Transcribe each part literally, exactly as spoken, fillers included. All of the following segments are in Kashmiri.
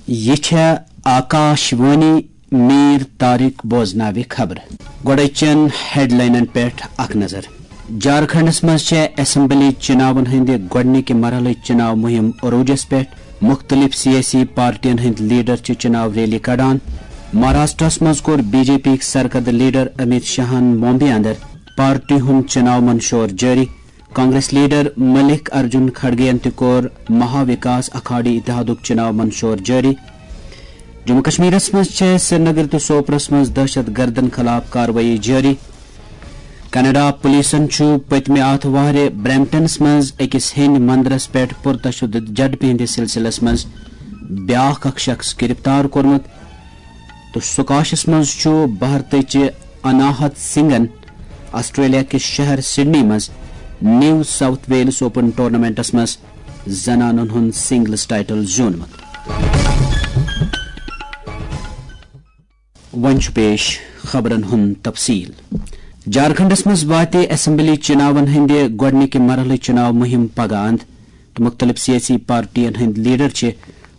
یہِ چھےٚ آکاش وانی۔ میر طارق بوزناوِ خبرٕ۔ گۄڈے چٮ۪ن ہیڈلاینن پٮ۪ٹھ اکھ نظر۔ جھارکھنڈس منٛز چھےٚ اسمبلی چناون ہٕنٛدِ گۄڈٕنِکہِ مرحلٕچ چناو مُہِم عروجس پٮ۪ٹھ۔ مُختٔلِف سیٲسی پارٹین ہٕنٛدۍ لیڈر چھِ چناو ریلی کڑان۔ مہاراشٹرس منٛز کوٚر بی جے پی یٕکۍ سرکردٕ لیڈر امیت شاہن ممبئی اندر پارٹی ہُنٛد چناو منشور جٲری۔ کانگریس لیڈر ملک ارجن کھڑگے یَن تہِ کوٚر مہا وکاس اکھاڑی اتحادُک چناو منشور جٲری۔ جموں کشمیرس منٛز چھےٚ سرینگر تہٕ سوپرس منٛز دہشت گردن خلاف کاروٲیی جٲری۔ کینیڈا پولیسن چھُ پٔتمہِ آتھوارِ برمپٹنس منٛز أکِس ہیٚنٛدۍ مندرس پٮ۪ٹھ پُرتشدد جھڑپہِ ہٕنٛدِس سلسلس منٛز بیٛاکھ اکھ شخص گرفتار کوٚرمُت۔ تہٕ سکاشس منٛز چھُ بھارتٕچہِ اناہت سنگھن آسٹریلیا کِس شہر سڈنی منٛز نیو ساؤتھ ویلز اوپن ٹورنامنٹس منٛز زنانن ہُنٛد سنگلز ٹائٹل زیوٗنمُت۔ وۄنۍ چھُ پیش خبرن ہُنٛد تفصیل۔ جھارکھنڈس منٛز واتہِ اسمبلی چناون ہٕنٛدِ گۄڈٕنِکہِ مرحلٕچ چناو مُہِم پگاہ اند تہٕ مُختٔلِف سیٲسی پارٹین ہٕنٛدۍ لیڈر چھِ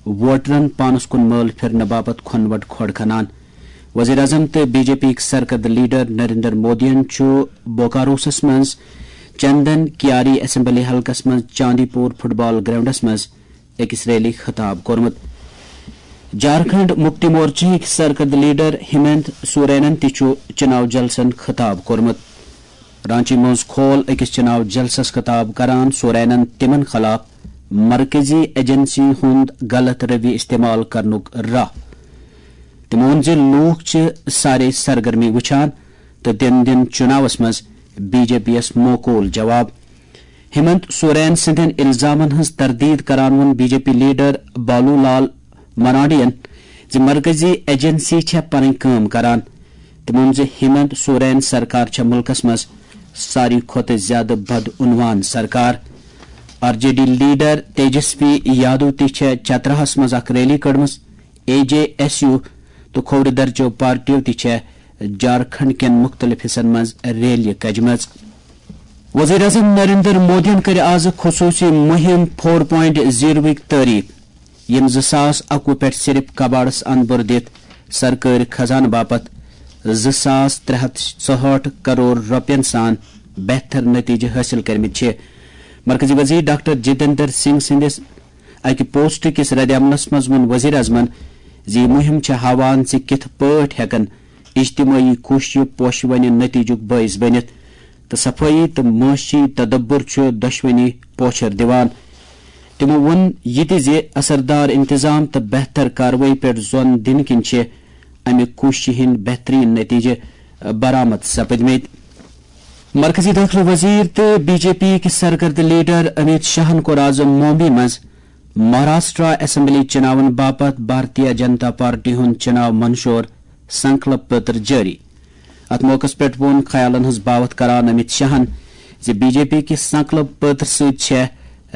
ووٹرن پانس کُن مٲل پھرنہٕ باپتھ کھۄنہٕ وٹہٕ کھۄڑ کھنان۔ وزیر اعظم تہٕ بی جے پی یٕکۍ سرکردٕ لیڈر نریندر مودیَن چھُ بوکاروسس منٛز چندن کیاری اسمبلی حلقس منٛز چاندی پور فٹ بال گراؤنڈس منٛز أکِس ریلی خطاب کوٚرمُت۔ جھارکھنڈ مکتی مورچہٕکۍ سرکردٕ لیڈر ہیمنت سورینن تہِ چھُ چناو جلسن خطاب کوٚرمُت۔ رانچی منٛز کھول أکِس چناو جلسس خطاب کران سورینن تِمن خلاف مرکزی ایجنسی ہُنٛد غلط رویہ استعمال کرنُک راہ۔ تٔمۍ ووٚن زِ لوٗکھ چھِ سارے سرگرمی وٕچھان تہٕ دِن دِن چُناوس منٛز بی جے پی یَس معقول جواب۔ ہیمنت سورین سٕنٛدٮ۪ن الزامن ہٕنٛز تردید کران ووٚن بی جے پی لیڈر بالو لال مرانڈین زِ مرکزی ایجنسی چھےٚ پنٕنۍ کٲم کران۔ تٔمۍ ووٚن زِ ہیمنت سورین سرکار چھےٚ مُلکس منٛز ساروی کھۄتہٕ زیادٕ بدعنوان سرکار۔ R J D leader Tejashwi Yadav تہِ چھےٚ چتراہس منٛز اکھ ریلی کٔڑمٕژ۔ اے جے ایس یو تہٕ کھوورِ درچو پارٹیو تہِ چھےٚ جھارکھنڈ کٮ۪ن مُختٔلِف حصن منٛز ریلیہِ کجمژ۔ وزیر اعظم نریندر مودیَن کٔر آز خصوٗصی مُہِم فور پوینٹ زیٖروٕکۍ تعریف، ییٚمۍ زٕ ساس اَکوُہ پٮ۪ٹھ صرف کباڑس اندبر دِتھ سرکٲرۍ خزانہٕ باپتھ زٕ ساس ترٛےٚ ہتھ ژُہٲٹھ کرور رۄپین سان بہتر نتیجہٕ حٲصِل کٔرمٕتۍ چھِ۔ مرکزی وزیر ڈاکٹر جتیندر سنگھ سٕنٛدِس اَکہِ پوسٹ کِس رد عملس منٛز ووٚن وزیر اعظمن زِ یہِ مُہِم چھےٚ ہاوان زِ کِتھ پٲٹھۍ ہٮ۪کن اجتمٲعی کوٗششہٕ پوشہٕ ونہِ نتیجُک بٲعث بٔنِتھ تہٕ صفٲیی تہٕ معاشی تدبر چھُ دۄشوٕنی پوچھر دِوان۔ تِمو ووٚن یہِ تہِ زِ اثردار انتظام تہٕ بہتر کاروٲیی پٮ۪ٹھ زون دِنہٕ کِنۍ چھِ امہِ کوٗششہِ ہٕنٛدۍ بہترین نتیجہٕ برآمد سپدمٕتۍ۔ مرکزی دٲخلہٕ وزیر تہٕ بی جے پی یٕکۍ سرکردٕ لیڈر امیت شاہن کوٚر آز ممبئی منٛز مہاراشٹرا اسمبلی چناون باپتھ بھارتیہ جنتا پارٹی ہُنٛد چناو منشور سنکلپ پتر جٲری۔ اتھ موقعس پٮ۪ٹھ ووٚن خیالن ہٕنٛز باوتھ کران امیت شاہن زِ بی جے پی کِس سنکلپ پتر سۭتۍ چھےٚ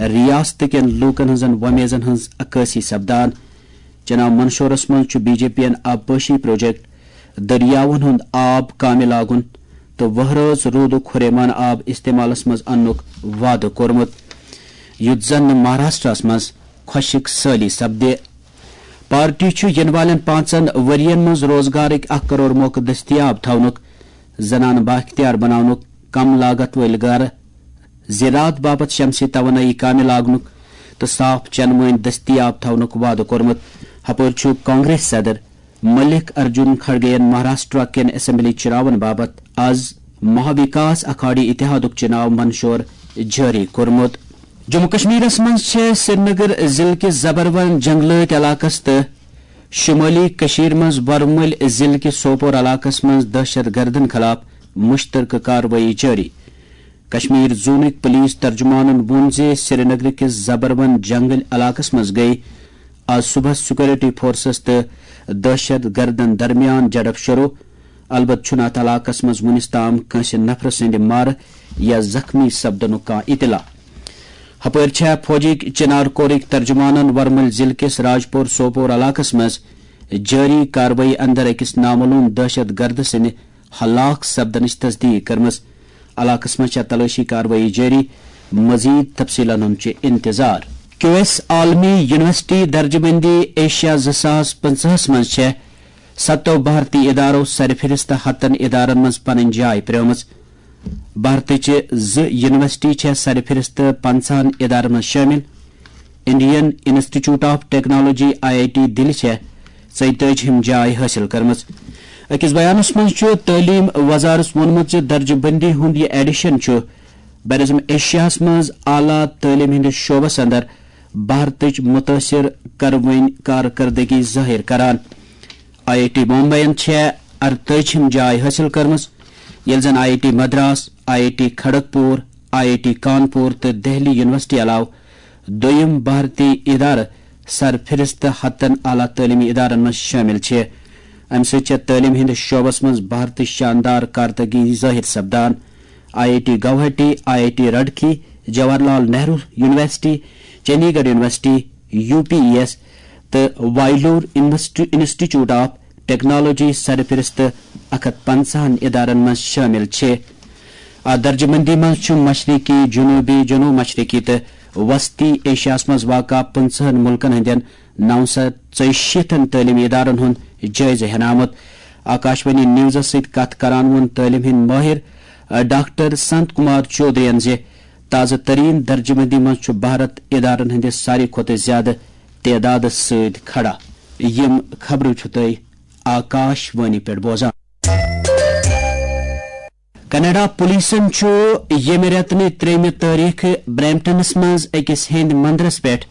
ریاست کٮ۪ن لوٗکن ہٕنٛزن وۄمیزن ہٕنٛز عکٲسی سپدان۔ چناو منشورس منٛز چھُ بی جے پی یَن آبپاشی پروجیکٹ، دٔریاوَن ہُنٛد آب کامہِ لاگُن تہٕ وہرٲژ روٗدُک ہُریمان آب استعمالس منٛز اننُک وعدٕ کوٚرمُت، یُتھ زن نہٕ مہاراشٹرس منٛز خۄشک سٲلی سپدِ۔ پارٹی چھُ یِنہٕ والٮ۪ن پانٛژن ؤرۍ یَن منٛز روزگارٕکۍ اکھ کرور موقعہٕ دٔستیاب تھاونُک، زنانہٕ بااختیار بناونُک، کم لاگت وٲلۍ گرٕ، زراعت باپتھ شمسی توانٲیی کامہِ لاگنُک تہٕ صاف چنہٕ مٲنۍ دٔستیاب تھاونُک وعدٕ کوٚرمُت۔ ہپٲرۍ چھُ کانگریس صدر ملک ارجن کھڑگے یَن مہاراشٹرا کٮ۪ن اسمبلی چناون باپتھ از مہا وکاس اکھاڑی اتحادُک چناو منشور جٲری کوٚرمُت۔ جموں کشمیرس منٛز چھےٚ سرینگر ضلعہٕ کِس زبروان جنگلٲتۍ علاقس تہٕ شمٲلی کٔشیٖرِ منٛز ورمُلۍ ضلعہٕ کِس سوپور علاقس منٛز دہشت گردن خلاف مشترکہٕ کاروٲیی جٲری۔ کشمیر زونٕکۍ پولیس ترجمانن ووٚن زِ سرینگرٕ کِس زبروان جنگل علاقس منٛز گٔیہِ آز صبحس سیکورٹی فورسز تہٕ دہشت گردن درمیان جھڑپ شروع۔ البتہ چھُنہٕ اتھ علاقس منٛز وُنِس تام کٲنٛسہِ نفرٕ سٕنٛدِ مارٕ یا زخمی سپدنُک کانٛہہ اطلاع۔ ہپٲرۍ چھےٚ فوجٕکۍ چنار کورٕکۍ ترجمانن ورمُلۍ ضلعہٕ کِس راجپور سوپور علاقس منٛز جٲری کاروٲیی اندر أکِس نامعلوم دہشت گرد سٕنٛدِ ہلاک سپدنٕچ تصدیق کٔرمٕژ۔ علاقس منٛز چھےٚ تلٲشی کاروٲیی جٲری، مزید تفصیلن ہُنٛد چھُ انتظار۔ کیو ایس عالمی یونیورسٹی درجہ بندی ایشیا زٕ ساس پٕنٛژٕہَس منٛز چھےٚ ستو بھارتی ادارو سرفہرست ہتن ادارن منٛز پنٕنۍ جاے پرٛٲومٕژ۔ بھارتٕچہِ زٕ یونیورسٹی چھےٚ سرفہرست پنٛژاہن ادارن منٛز شٲمِل۔ Indian institute of technology, I I T Delhi چھےٚ ژۄیتٲجِہِم جاے حٲصِل کٔرمٕژ۔ أکِس بیانَس منٛز چھُ تعلیٖم وزارتَس ووٚنمُت زِ درجہٕ بندی ہُنٛد یہِ ایڈیشن چھُ براعظم ایشیاہَس منٛز اعلیٰ تعلیٖم ہٕنٛدِس شعبَس اندر بھارتٕچ متٲثر کروٕنۍ کارکردگی ظٲہِر کران۔ آئی آئی ٹی بمبئین چھےٚ ارتٲجِہِم جاے حٲصِل کٔرمٕژ، ییٚلہِ زن I I T Madras, I I T Kharagpur, I I T Kanpur تہٕ دہلی یونیورسٹی علاوٕ دوٚیِم بھارتی ادارٕ سرفہرست ہتن اعلیٰ تعلیمی ادارن منٛز شٲمِل چھِ۔ امہِ سۭتۍ چھےٚ تعلیٖم ہٕنٛدِس شعبس منٛز بھارتٕچ شاندار کارکردگی ظٲہِر سپدان۔ I I T Guwahati, I I T Roorkee, Jawahar Lal Nehru university, Chandigarh university, U P E S تہٕ وائلور انسٹی-، انسٹیٹیوٹ آف ٹیکنالوجی سرفہرست اکھ ہتھ پنٛژاہن ادارن منٛز شٲمِل چھِ۔ اتھ درجہٕ بندی منٛز چھُ مشرقی، جنوبی، جنوب مشرقی تہٕ وسطی ایشیاہس منٛز واقع پٕنٛژٕہن مُلکن ہٕنٛدٮ۪ن نو شتھ ژۄیہِ شیٖتن تعلیمی ادارن ہُنٛد جٲیزٕ ہینہٕ آمُت۔ آکاشوانی نیوزس سۭتۍ کتھ کران ووٚن تعلیٖم ہٕنٛدۍ مٲہِر، ڈاکٹر سنت کمار چودھرین زِ تازٕ ترین درجہٕ بندی منٛز چھُ بھارت ادارن ہٕنٛدِس ساروی کھۄتہٕ زیادٕ تعدادس سۭتۍ کھڑا۔ یِم خبرٕ چھِو تُہۍ آکاش وانی پٮ۪ٹھ بوزان۔ کینیڈا پولیسن چھُ ییٚمہِ رٮ۪تہٕ نہِ ترٛیٚیِمہِ تٲریخہٕ برمپٹنس منٛز أکِس ہیٚنٛدۍ مندرس پٮ۪ٹھ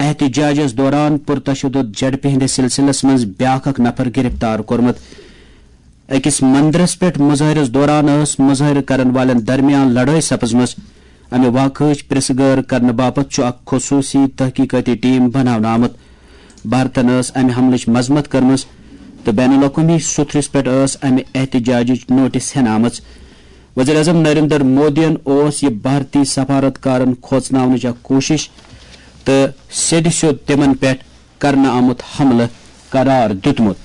احتجاجس دوران پرتشدد جھڑپہِ ہٕنٛدِس سلسلس منٛز بیٛاکھ اکھ نفر گرفتار کوٚرمُت۔ أکِس مندرس پٮ۪ٹھ مظٲہرس دوران ٲس مظٲہرٕ کرن والٮ۪ن درمیان لڑٲے سپٕزمٕژ۔ امہِ واقعٕچ پرژھ گٲر کرنہٕ باپتھ چھُ اکھ خصوٗصی تحقیقٲتی ٹیم بناونہٕ آمُت۔ بھارتن ٲس امہِ حملٕچ مذمت کٔرمٕژ تہٕ بین الاقوٲمی سوٚتھرِس پٮ۪ٹھ ٲس امہِ احتجاجٕچ نوٹس ہٮ۪نہٕ آمٕژ۔ وزیر اعظم نریندر مودیَن اوس یہِ بھارتی سفارتکارن کھوژناونٕچ اکھ کوٗشش تہٕ سیٚدِ سیوٚد تِمن پٮ۪ٹھ کرنہٕ آمُت حملہٕ قرار دیُتمُت۔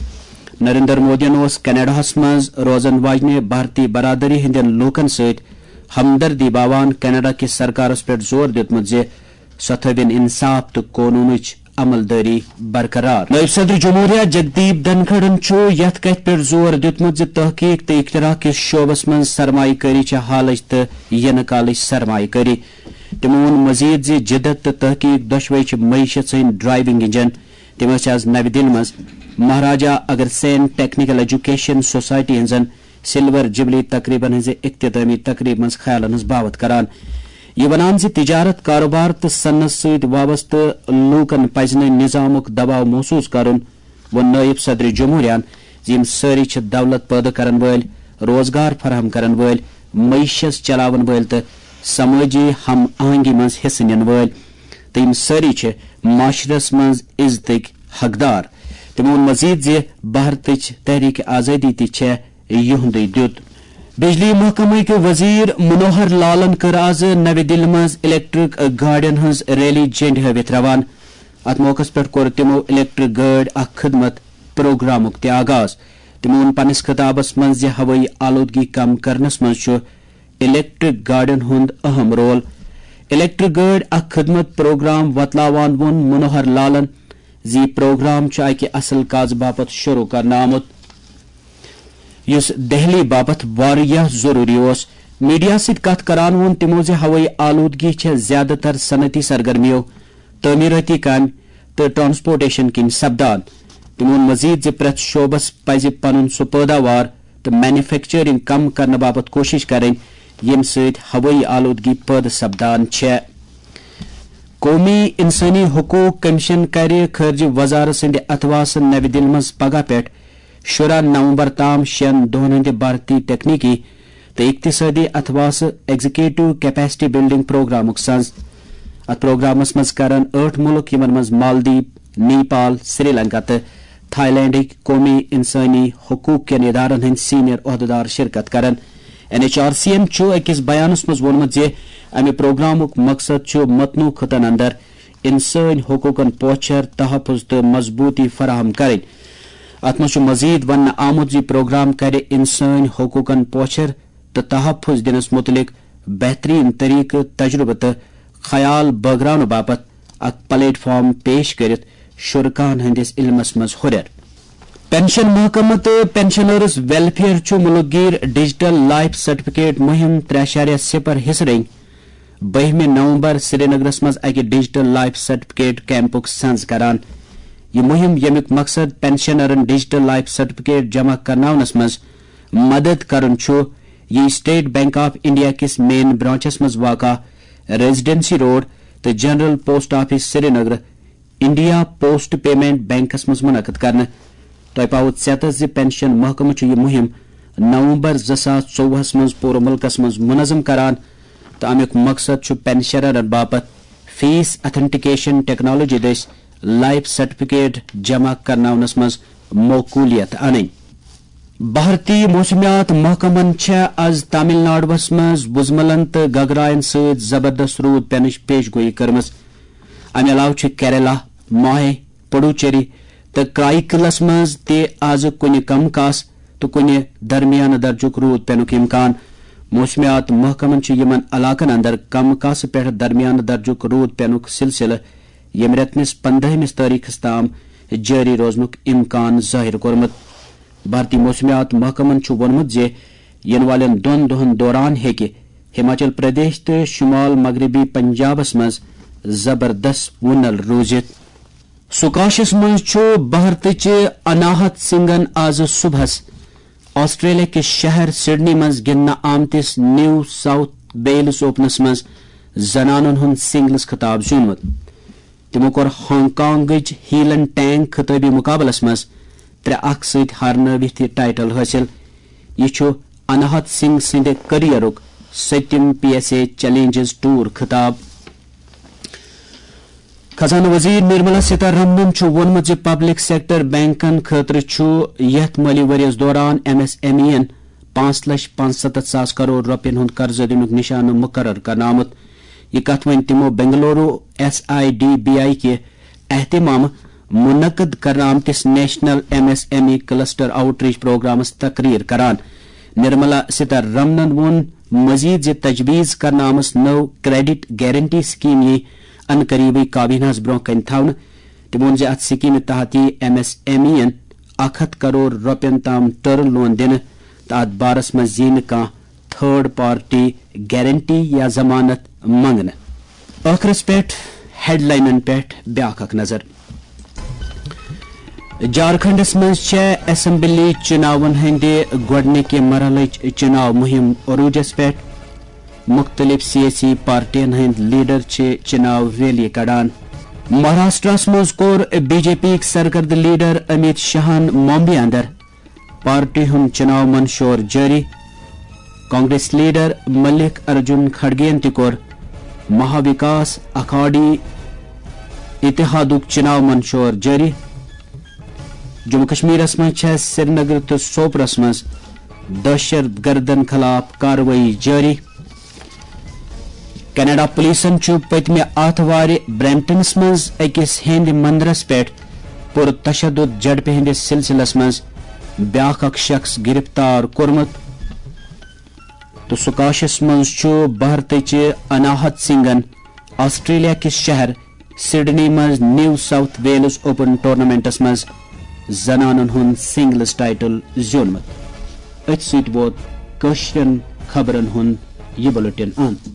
نریندر مودیَن اوس کینیڈاہَس منٛز روزن واجنہِ بھارتی برادری ہٕنٛدٮ۪ن لوٗکن سۭتۍ ہمدردی باوان کینیڈا کِس سرکارس پٮ۪ٹھ زور دیُتمُت زِ سۄ تھٲوِن انصاف تہٕ قونوٗنٕچ عمل دٲری برقرار۔ نٲیِب صدر جمہوریہ جگدیپ دھنکھڑَن چھُ یَتھ کَتھِ پٮ۪ٹھ زور دیُتمُت زِ تحقیق تہٕ اختراع کِس شعبس منٛز سرمایہ کٲری چھےٚ حالٕچ تہٕ یِنہٕ کالٕچ سرمایہ کٲری۔ تِمو ووٚن مزید زِ جدت تہٕ تحقیق دۄشوے چھِ معیشت سٕنٛدۍ ڈرائیونگ انجن۔ تِم ٲسۍ آز نَوِ دِلہِ منٛز مہاراجا اگرسین ٹیکنیکل ایجوکیشن سوسائٹی ہٕنٛزن سلور جبلی تقریبن ہٕنٛزِ اختتامی تقریبہِ منٛز خیالن ہٕنٛز باوتھ کران۔ یہِ ونان زِ تجارت، کاروبار تہٕ صنعت سۭتۍ وابستہٕ لوٗکن پزِ نہٕ نظامُک دباو محسوس کرُن۔ ووٚن نٲیِب صدر جمہوریہَن زِ یِم سٲری چھِ دولت پٲدٕ کرن وٲلۍ، روزگار فراہم کرن وٲلۍ، معیشت چلاون وٲلۍ تہٕ سمٲجی ہم آہنگی منٛز حصہٕ نِنہٕ وٲلۍ، تہٕ یِم سٲری چھِ معاشرس منٛز عزتٕکۍ حقدار۔ تِمو ووٚن مزید زِ بھارتٕچ تحریک آزادی تہِ چھےٚ یِہُنٛدُے دیُت۔ بجلی محکمٕکۍ وزیر منوہر لالن کٔر آز نَوِ دِلہِ منٛز الیکٹرک گاڑٮ۪ن ہٕنٛز ریلی جھنڈِ ہٲوِتھ روانہٕ۔ اتھ موقعس پٮ۪ٹھ کوٚر تِمو الیکٹرک گٲڑۍ اکھ خدمت پروگرامُک تہِ آغاز۔ تِمو ووٚن پننِس خطابس منٛز زِ ہوٲیی آلودگی کم کرنس منٛز چھُ الیکٹرک گاڑٮ۪ن ہُنٛد اہم رول۔ الیکٹرک گٲڑۍ اکھ خدمت پروگرام وۄتلاوان ووٚن منوہر لالن زِ یہِ پروگرام چھُ اکہِ اصل کازٕ باپتھ شروع کرنہٕ آمُت، یُس دہلی باپتھ واریاہ ضروری اوس۔ میڈیا سۭتۍ کتھ کران ووٚن تِمو زِ ہوٲیی آلودگی چھےٚ زیادٕ تر صنعتی سرگرمیو، تعمیرٲتی کامہِ تہٕ ٹرانسپورٹیشن کِنۍ سپدان۔ تِمو ووٚن مزید زِ پرٛٮ۪تھ شعبس پزِ پنُن سُہ پٲداوار تہٕ مینوفیکچرنگ کم کرنہٕ باپتھ کوٗشش کرٕنۍ، ییٚمہِ سۭتۍ ہوٲیی آلودگی پٲدٕ سپدان چھےٚ۔ قومی انسٲنی حقوق کمیشن کرِ خارجہ وزارت سٕنٛدِ اتھواسہٕ نَوِ دِلہِ منٛز پگاہ پٮ۪ٹھ شُراہ نومبر تام شٮ۪ن دۄہن ہٕنٛدِ بھارتی تکنیکی تہٕ اقتصٲدی اتھواسہٕ ایگزیکٹو کیپیسٹی بلڈنگ پروگرامُک سنز۔ اتھ پروگرامس منٛز کرن ٲٹھ مُلک، یِمن منٛز مالدیپ، نیپال، سری لنکا تہٕ تھائی لینڈٕکۍ قومی انسٲنی حقوق کٮ۪ن ادارن ہٕنٛدۍ سینئر عہدٕدار شرکت کرن۔ این ایچ آر سی یَن چھُ أکِس بیانَس منٛز ووٚنمُت زِ امہِ پروگرامُک مقصد چھُ متنوع خطن اندر انسٲنۍ حقوقن پوچھر، تحفظ تہٕ مضبوٗطی فراہم کرٕنۍ۔ اتھ منٛز چھُ مزید وننہٕ آمُت زِ پروگرام کرِ انسٲنۍ حقوقن پوچھر تہٕ تحفظ دِنس مُتعلق بہترین طریقہٕ، تجربہٕ تہٕ خیال بٲگراونہٕ باپتھ اکھ پلیٹ فارم پیش کٔرِتھ شرکاہن ہٕنٛدِس علمس منٛز ہُرٮ۪ر۔ پنشن محکمہٕ تہٕ پنشنرز ویلفیئر چھُ مُلک گیر ڈیجیٹل لائف سرٹیفکیٹ مُہِم ترٛےٚ اعشاریہ صفر حصہٕ رنگۍ بٔہمہِ نومبر سرینگرس منٛز اکہِ ڈیجیٹل لائف سرٹیفکیٹ کیمپُک سنز کران۔ یہِ مُہِم، ییٚمیُک مقصد پنشنرن ڈیجیٹل لائف سرٹیفکیٹ جمع کرناونس منٛز مدد کرُن چھُ، یہِ اسٹیٹ بینک آف انڈیا کِس مین برانچس منٛز واقع ریزیڈنسی روڈ تہٕ general post office Srinagar India post payment banks منٛز منعقد کرنہٕ۔ تۄہہِ پاوو ژیتس زِ پنشن محکمہٕ چھُ یہِ مُہِم نومبر زٕ ساس ژوٚوُہس منٛز پوٗرٕ مُلکس منٛز منظم کران تہٕ امیُک مقصد چھُ پنشنرن باپتھ فیس اتھنٹیکیشن ٹیکنالوجی دٔسۍ لائف سرٹیفکیٹ جمع کرناونس منٛز معقولیت انٕنۍ۔ بھارتی موسمیات محکمن چھےٚ از تامل ناڈوس منٛز وُزملن تہٕ گگراین سۭتۍ زبردست روٗد پینٕچ پیش گویی کٔرمٕژ۔ امہِ علاوٕ چھُ کیرلا، ماہے، پڈوچیری تہٕ کرائیکلس منٛز تہِ از کُنہِ کم کاس تہٕ کُنہِ درمیانہٕ درجُک روٗد پینُک امکان۔ موسمیات محکمن چھُ یِمن علاقن اندر کم کاسہٕ پٮ۪ٹھ درمیانہٕ درجُک روٗد پینُک سلسلہٕ ییٚمہِ رٮ۪تہٕ کِس پندہمِس تٲریخس تام جٲری روزنُک امکان ظٲہِر کوٚرمُت۔ بھارتی موسمیات محکمن چھُ ووٚنمُت زِ یِنہٕ والٮ۪ن دۄن دۄہَن دوران ہیٚکہِ ہماچل پردیش تہٕ شمال مغربی پنجابس منٛز زبردست وُنل روٗزِتھ۔ سکاشس منٛز چھُ بھارتٕچہِ اناہت سنگھن آز صبحس آسٹریلیا کِس شہر سڈنی منٛز گِنٛدنہٕ آمتِس نیو ساؤتھ ویلز اوپنس منٛز زنانن ہُنٛد سنگلز خطاب زیوٗنمُت۔ تِمو کوٚر ہانگ کانگٕچ ہیلن ٹینگ خطٲبی مقابلس منٛز ترٛےٚ اکھ سۭتۍ ہارنٲوِتھ یہِ ٹائٹل حٲصِل۔ یہِ چھُ اناہت سنگھ سٕنٛدِ کیریئرُک سٔتِم P S A challenges tour خطاب۔ خزانہٕ وزیر نرملا سیتارمنن چھُ ووٚنمُت زِ پبلک سیکٹر بینکن خٲطرٕ چھُ یتھ مٲلی ؤریَس دوران ایم ایس ایم ای یَن پانٛژھ لچھ پانٛژستتھ ساس کرور رۄپین ہُنٛد قرضہٕ دِنُک نشانہٕ مقرر کرنہٕ آمُت۔ یہِ کتھ وۄنۍ تِمو Bengaluru S I D B I کہِ اہتمامہٕ منعقد کرنہٕ آمتِس national M S M E cluster outreach پروگرامس تقریر کران۔ نرملا سیتارمنن ووٚن مزید زِ تجویز کرنہٕ آمٕژ نٔو کریڈٹ گارنٹی سکیم یِیہِ ان قریبٕے کابینہس برونٛہہ کنہِ تھاونہٕ۔ تٔمۍ ووٚن زِ اتھ سکیمہِ تحت یِیہِ ایم ایس ایم ای یَن اکھ ہتھ کرور رۄپین تام ٹرم لون دِنہٕ تہٕ اتھ بارس منٛز یِیہِ نہٕ کانٛہہ تھرڈ پارٹی گارنٹی یا ضمانت منٛگنہٕ۔ ٲخرس پٮ۪ٹھ ہیڈلاینن پٮ۪ٹھ بیاکھ اکھ نظر۔ جھارکھنڈس منٛز چھےٚ اسمبلی چناون ہٕنٛدِ گۄڈٕنِکہِ مرحلٕچ چناو مُہِم عروجس پٮ۪ٹھ۔ مُختٔلِف سیٲسی پارٹین ہٕنٛدۍ لیڈر چھِ چناو ریلی کڑان۔ مہاراشٹرس منٛز کوٚر بی جے پی یِک سرکردٕ لیڈر امیت شاہن ممبئی اندر پارٹی ہُنٛد چناو منشور جٲری۔ کانگریس لیڈر ملک ارجن کھڑگین تہِ کوٚر مہا وکاس اکھاڑی اتحادُک چناو منشور جٲری۔ جموں کشمیرس منٛز چھےٚ سرینگر تہٕ سوپرس منٛز دہشت گردن خلاف کاروٲیی جٲری۔ کینیڈا پولیسن چھُ پٔتمہِ آتھوارِ برمپٹنس منٛز أکِس ہیٚنٛدۍ مندرس پٮ۪ٹھ پُر تشدد جھڑپہِ ہٕنٛدِس سلسلس منٛز بیاکھ اکھ شخص گرفتار کوٚرمُت۔ تہٕ سکاشس منٛز چھُ بھارتٕچہِ اناہت سنگھن آسٹریلیا کِس شہر سڈنی منٛز نیو ساؤتھ ویلز اوپن ٹورنامنٹس منٛز زنانن ہُنٛد سنگلز ٹائٹل زیوٗنمُت۔ أتھۍ سۭتۍ ووت کٲشرٮ۪ن خبرن ہُنٛد یہِ بلیٹن انت۔